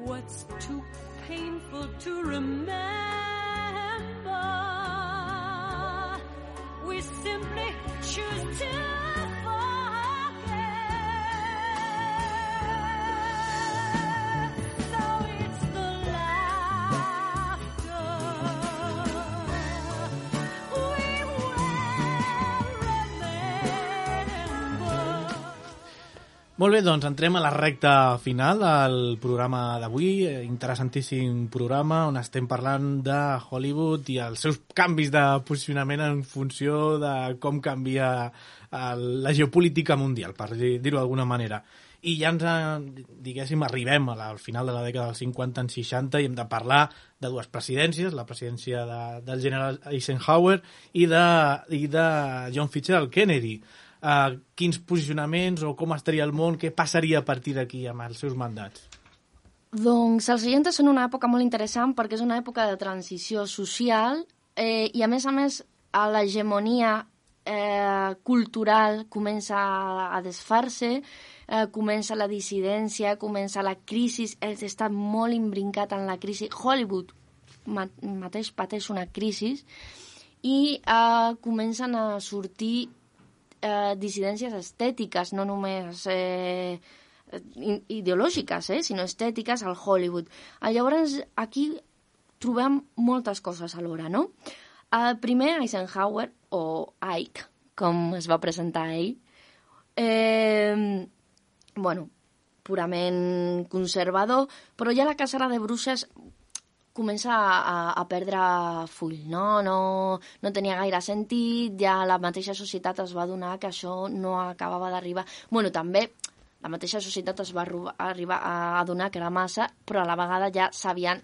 Speaker 6: What's too painful to remember? We simply choose to forget. So it's the laughter we will remember.
Speaker 3: Molt bé, doncs entrem a la recta final del programa d'avui. Interessantíssim programa on estem parlant de Hollywood i els seus canvis de posicionament en funció de com canvia la geopolítica mundial, per dir-ho d'alguna manera. I ja ens, diguéssim, arribem al final de la dècada dels 50 en 60 i hem de parlar de dues presidències, la presidència del general Eisenhower i de John Fitzgerald Kennedy. Quins posicionaments o com estaria el món, què passaria a partir d'aquí amb els seus mandats?
Speaker 5: Doncs els 60 són una època molt interessant perquè és una època de transició social I a més, l'hegemonia cultural comença a desfer-se, comença la dissidència, comença la crisi, està molt imbrincat en la crisi. Hollywood mateix pateix una crisi i comencen a sortir dissidències estètiques, no només ideològiques, sinó estètiques al Hollywood. Llavors, aquí trobem moltes coses alhora, no? Primer, Eisenhower, o Ike, com es va presentar ell, purament conservador, però ja la cacera de bruixes comença a perdre full, no? No tenia gaire sentit, ja la mateixa societat es va adonar que això no acabava d'arribar. Bueno, també la mateixa societat es va arribar a adonar que era massa, però a la vegada ja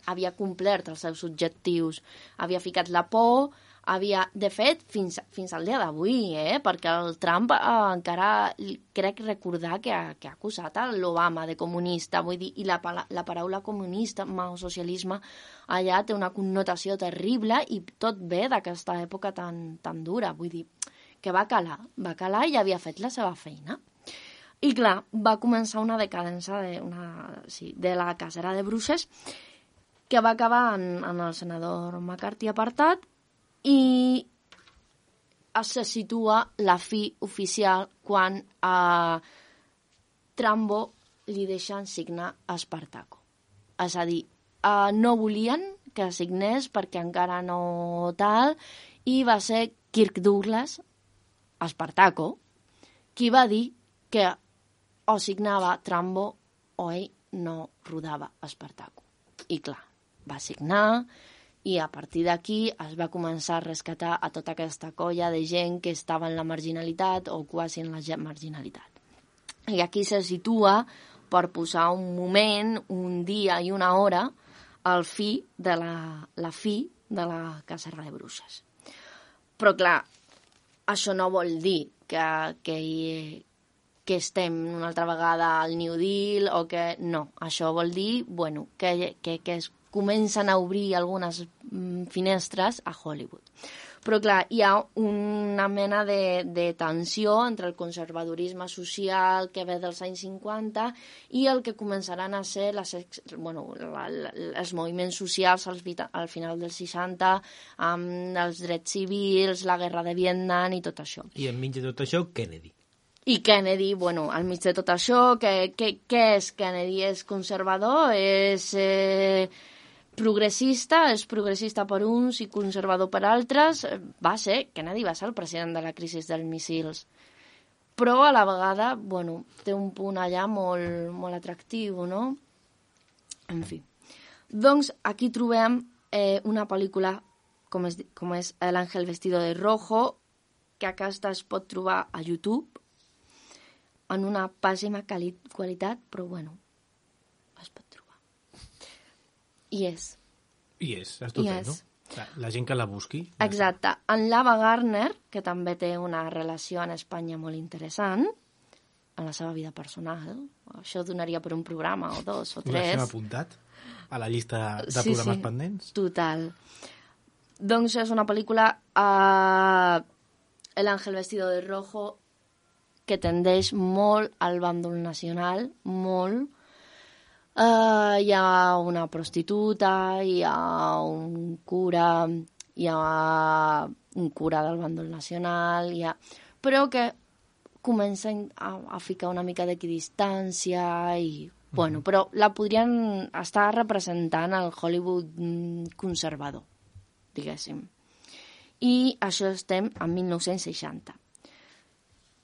Speaker 5: havia complert els seus objectius. Havia ficat la por, de fet, fins al dia d'avui, perquè el Trump encara crec recordar que ha acusat l'Obama de comunista, vull dir, i la paraula comunista o socialisme allà té una connotació terrible i tot ve d'aquesta època tan dura, vull dir, que va calar i havia fet la seva feina. I clar, va començar una decadència de la cacera de bruixes que va acabar en el senador McCarthy apartat i se situa la fi oficial quan a Trambo li deixen signar a Espartaco. És a dir, no volien que signés perquè encara no tal, i va ser Kirk Douglas, Espartaco, qui va dir que o signava Trambo o ell no rodava Espartaco. I clar, va signar i a partir d'aquí es va començar a rescatar a tota aquesta colla de gent que estava en la marginalitat o quasi en la marginalitat. I aquí se situa per posar un moment, un dia i una hora al fi de la fi de la cacera de bruixes. Però clar, això no vol dir que estem una altra vegada al New Deal o que no. Això vol dir que es comencen a obrir algunes finestres a Hollywood. Però clar, hi ha una mena de tensió entre el conservadorisme social que ve dels anys 50 i el que començaran a ser els moviments socials al final dels 60, amb els drets civils, la guerra de Vietnam i tot això.
Speaker 4: I enmig de tot això, Kennedy.
Speaker 5: I Kennedy, al mig de tot això, què és Kennedy? És conservador? És progressista? És progressista per uns i conservador per altres? Kennedy va ser el president de la crisi dels míssils. Però a la vegada, té un punt allà molt, molt atractiu, no? En fi. Doncs aquí trobem una pel·lícula com és El ángel vestido de rojo, que aquesta es pot trobar a YouTube, en una pèssima qualitat, però es pot trobar. I és
Speaker 3: estupendo. La gent que la busqui.
Speaker 5: Exacte. En l'Ava Gardner, que també té una relació en Espanya molt interessant, en la seva vida personal, això donaria per un programa o dos o tres.
Speaker 3: Ho deixem apuntat a la llista de programes pendents?
Speaker 5: Total. Doncs és una pel·lícula El ángel vestido de rojo, que tendeix molt al bàndol nacional, molt. Hi ha una prostituta, hi ha un cura del bàndol nacional, però que comença a ficar una mica d'equidistància i, però la podrien estar representant al Hollywood conservador, diguéssim. I això estem en 1960.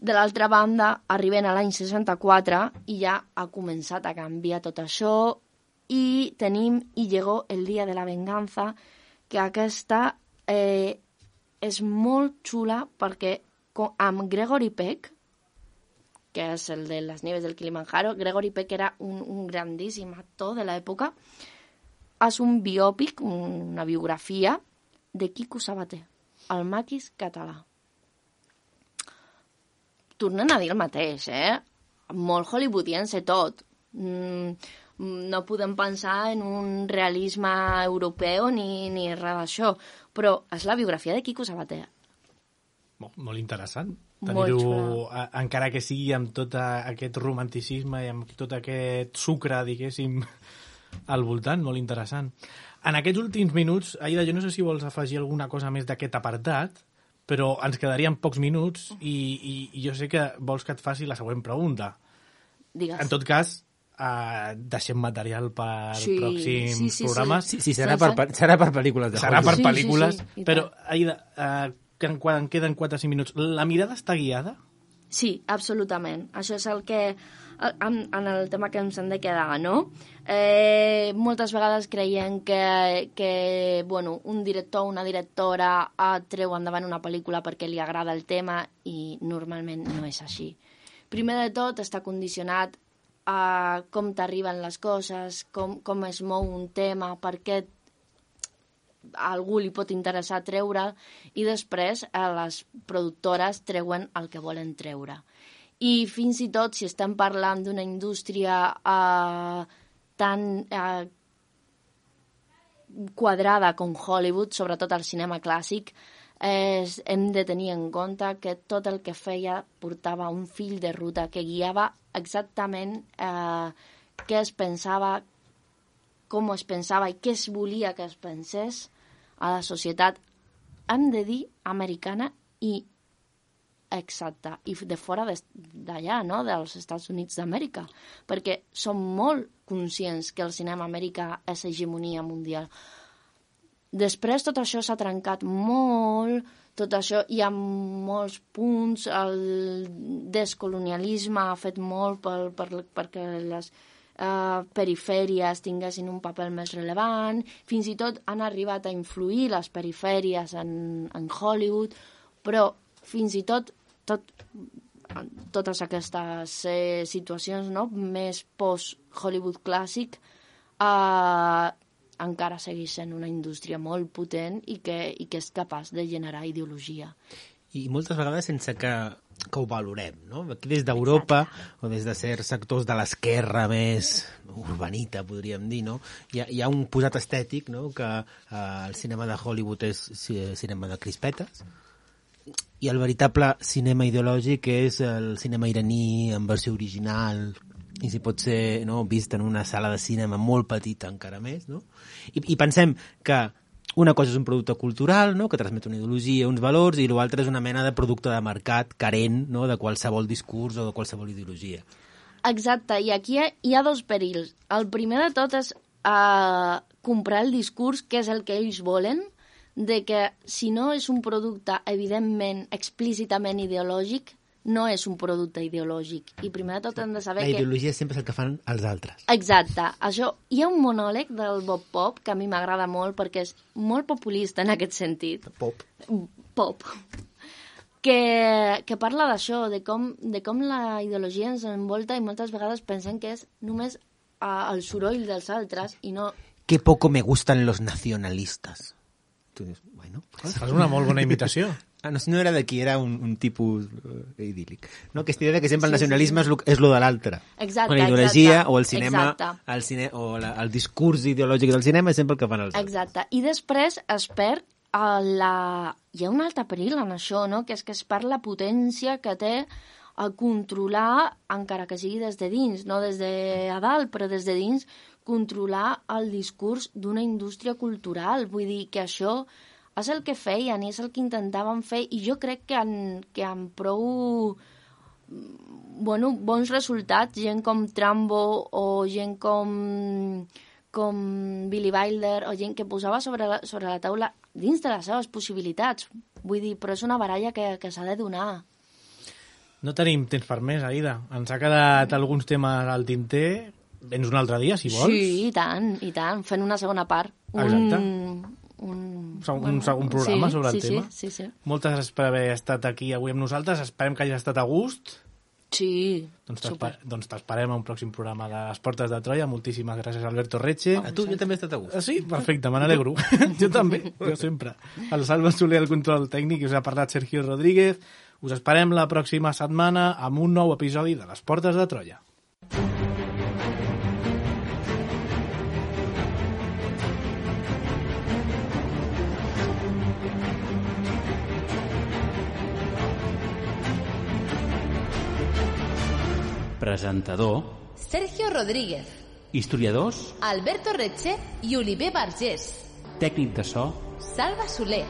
Speaker 5: De l'altra banda, arribem a l'any 64 i ja ha començat a canviar tot això i tenim Y llegó el día de la venganza, que aquesta és molt xula perquè amb Gregory Peck, que és el de Las nieves del Kilimanjaro, Gregory Peck era un grandíssim actor de l'època, és un biòpic, una biografia de Quico Sabater, el maquis català. Tornen a dir el mateix, molt hollywoodiense tot. No podem pensar en un realisme europeu ni res d'això. Però és la biografia de Quico Sabater.
Speaker 3: Molt interessant.
Speaker 5: Molt
Speaker 3: Tenir-ho, encara que sigui amb tot aquest romanticisme i amb tot aquest sucre, diguéssim, al voltant, molt interessant. En aquests últims minuts, Aida, jo no sé si vols afegir alguna cosa més d'aquest apartat, però ens quedarien pocs minuts i jo sé que vols que et faci la següent pregunta.
Speaker 5: Digues.
Speaker 3: En tot cas, deixem material per pròxims programes.
Speaker 4: Sí, serà per pel·lícules.
Speaker 3: Serà per pel·lícules,
Speaker 5: sí,
Speaker 3: però, Aida, que en queden 4 o 5 minuts. La mirada està guiada?
Speaker 5: Sí, absolutament. Això és el que, en el tema que ens hem de quedar, no? Moltes vegades creiem que bueno, un director o una directora treu endavant una pel·lícula perquè li agrada el tema i normalment no és així. Primer de tot està condicionat a com t'arriben les coses, com es mou un tema, per què a algú li pot interessar treure, i després les productores treuen el que volen treure. I fins i tot si estem parlant d'una indústria tan quadrada com Hollywood, sobretot el cinema clàssic, hem de tenir en compte que tot el que feia portava un fil de ruta que guiava exactament què es pensava, com es pensava i què es volia que es pensés a la societat, hem de dir, americana i exacta, i de fora d'allà, no?, dels Estats Units d'Amèrica, perquè som molt conscients que el cinema americà és hegemonia mundial. Després tot això s'ha trencat molt, tot això hi ha molts punts, el descolonialisme ha fet molt perquè les perifèries tinguessin un paper més rellevant, fins i tot han arribat a influir les perifèries en Hollywood, però fins i tot totes aquestes situacions, no?, més post-Hollywood clàssic, encara segueix sent una indústria molt potent i que és capaç de generar ideologia.
Speaker 4: I moltes vegades sense que ho valorem, no? Aquí des d'Europa, o des de certs sectors de l'esquerra més urbanita, podríem dir, no? Hi ha un posat estètic, no?, que el cinema de Hollywood és cinema de crispetes, i el veritable cinema ideològic és el cinema iraní en versió original, i si pot ser, no, vist en una sala de cinema molt petita encara més, no? I pensem que una cosa és un producte cultural, no?, que transmet una ideologia, uns valors, i l'altre és una mena de producte de mercat carent, no?, de qualsevol discurs o de qualsevol ideologia.
Speaker 5: Exacte, i aquí hi ha dos perills. El primer de tot és comprar el discurs, que és el que ells volen, de que si no és un producte evidentment, explícitament ideològic, no és un producte ideològic. I primer de tot hem de saber
Speaker 4: que... La ideologia sempre és el que fan els altres.
Speaker 5: Exacte. Això, hi ha un monòleg del Bob Pop que a mi m'agrada molt perquè és molt populista en aquest sentit. Pop. Que parla d'això, de com la ideologia ens envolta i moltes vegades pensem que és només el soroll dels altres i no...
Speaker 4: Que poco me gustan los nacionalistas. Tu dius, bueno...
Speaker 3: Fas una molt bona imitació.
Speaker 4: No era d'aquí, era un tipus idíl·lic. No? Aquesta idea que sempre el nacionalisme és lo de l'altre.
Speaker 5: Exacte,
Speaker 4: la ideologia
Speaker 5: exacte.
Speaker 4: O el cinema, el discurs ideològic del cinema és sempre el que fan els altres.
Speaker 5: Exacte. I després es perd hi ha un altre perill en això, no?, que és que es perd la potència que té a controlar, encara que sigui des de dins, no des de a dalt, però des de dins, controlar el discurs d'una indústria cultural. Vull dir que això és el que feien i és el que intentaven fer, i jo crec que amb prou bons resultats, gent com Trumbo o gent com Billy Wilder o gent que posava sobre la taula dins de les seves possibilitats. Vull dir, però és una baralla que s'ha de donar.
Speaker 3: No tenim temps per més, Aida. Ens ha quedat alguns temes al tinter. Vens un altre dia, si vols.
Speaker 5: Sí, i tant. Fent una segona part.
Speaker 3: Exacte. Un segon programa sobre el tema.
Speaker 5: Sí.
Speaker 3: Moltes gràcies per haver estat aquí avui amb nosaltres. Esperem que hagi estat a gust.
Speaker 5: Sí,
Speaker 3: doncs t'esperem a un pròxim programa de Les Portes de Troia. Moltíssimes gràcies, Alberto Reche.
Speaker 4: A tu, jo també he estat a gust.
Speaker 3: Sí? Perfecte, me n'alegro. Jo també, jo sempre. El Salva Soler, el control tècnic, i us ha parlat Sergio Rodríguez. Us esperem la pròxima setmana amb un nou episodi de Les Portes de Troia.
Speaker 10: Presentador:
Speaker 1: Sergio Rodríguez.
Speaker 10: Historiadors:
Speaker 1: Alberto Retxe i Oliver Vergés.
Speaker 10: Tècnic de so:
Speaker 1: Salva Soler.